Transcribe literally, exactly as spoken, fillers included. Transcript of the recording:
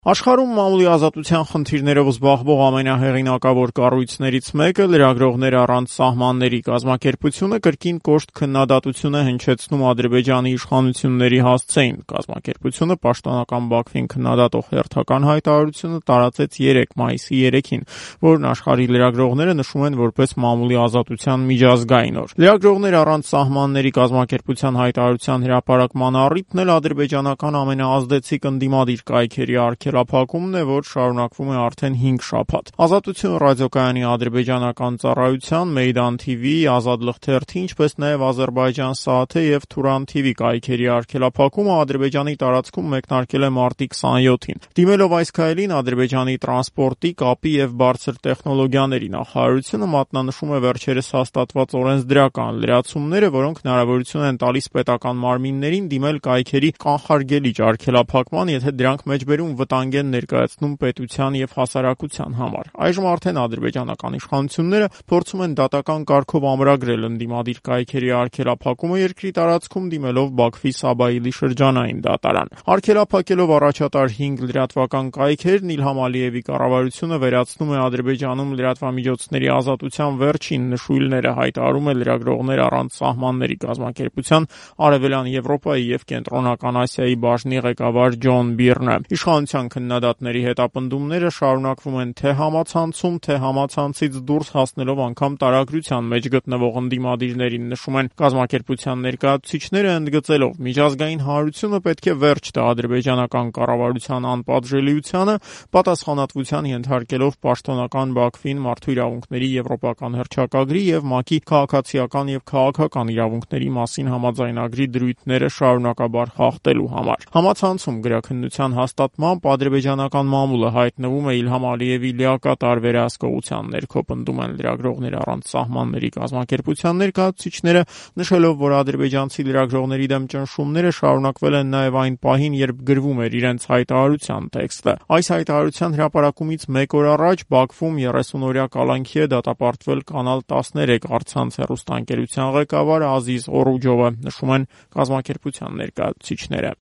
Աշխարհում մամուլի ազատության խնդիրներով զբաղվող ամենահեղինակավոր կառույցներից մեկը լրագրողներ առանց սահմանների կազմակերպությունը կրկին կոշտ քննադատություն է հնչեցնում Ադրբեջանի իշխանությունների հասցեին։ Կազմակերպությունը պաշտոնական Բաքվին քննադատող հերթական հայտարարությունը տարածեց երեկ մայիսի երեքին, որն աշխարհի լրագրողները նշում են որպես մամուլի ազատության միջազգային օր։ Լրագրողներ առանց սահմանների կազմակերպության հայտարարության հրապարակման առիթն էլ ադրբեջանական ամենաազդեցիկ ընդդիմադիր կայքերի արգելափակումն է, որ շարունակվում է արդեն հինգ շաբաթ։ Ազատություն ռադիոկայանի ադրբեջանական ծառայության, Meydan թի վի, Ազատ լրթերթի, ինչպես նաև Ադրբեջան Սաաթե եւ Turan թի վի կայքերի արգելափակումը Ադրբեջանի տարածքում մեկնարկել է մարտի քսաներորդ-ին։ Դիմելով այս քայլին Ադրբեջանի տրանսպորտի, կապի եւ բարձր տեխնոլոգիաների նախարարությունը մատնանշում է վերջերս հաստատված օրենսդրական լրացումները, որոնք հնարավորություն են տալիս պետական մարմիններին դիմել կայքերի կանխարգելիչ արգելափակման, եթե դրանք մեջբերում վտանգ են ներկայացնում պետության եւ հասարակության համար։ Այժմ արդեն ադրբեջանական իշխանությունները փորձում են դատական կարգով ամրագրել ընդդիմադիր կայքերի արգելափակումը երկրի տարածքում դիմելով Բաքվի Սաբայիլի շրջանային դատարան։ Արգելափակելով առաջատար հինգ լրատվական կայքերն Իլհամ Ալիևի կառավարությունը վերացնում է Ադրբեջանում լրատվամիջոցների ազատության վերջին նշույլները, հայտարարում է լրագրողներ առանց սահմանների կազմակերպության Արևելյան Եվրոպայի եւ Կենտրոնական Ասիայի բաժնի ղեկավար Ջոն Բիրնը։ Իշխանության քննադատների հետապնդումները շարունակվում են թե համացանցում, թե համացանցից դուրս հասնելով անգամ տարագրության մեջ գտնվող ընդդիմադիրներին, նշում են կազմակերպության ներկայացուցիչները, ընդգծելով միջազգային հանրությունը պետք է վերջ տա ադրբեջանական կառավարության անպատժելիությանը, պատասխանատվության ենթարկելով պաշտոնական Բաքվին մարդու իրավունքների եվրոպական հռչակագրի եւ ՄԱԿ-ի քաղաքացիական եւ քաղաքական իրավունքների մասին համաձայնագրի դրույթները շարունակաբար խախտելու համար։ Համացանցում գրաքննության հաստատմամբ ադրբեջանական մամուլը հայտնվում է Իլհամ Ալիևի լիակատար վերահսկողության ներքո, պնդում են լրագրողներ առանց սահմանների կազմակերպության ներկայացուցիչները, նշելով, որ ադրբեջանցի լրագրողների դեմ ճնշումները շարունակվել են նաև այն պահին, երբ գրվում էր իրենց հայտարարության տեքստը։ Այս հայտարարության հրապարակումից մեկ օր առաջ Բաքվում երեսունօրյա կալանքի է դատապարտվել Կանալ տասներեք առցանց հեռուստաընկերության ղեկավար Ազիզ Օռուջովը, նշում են կազմակերպության ներկայացուցիչները։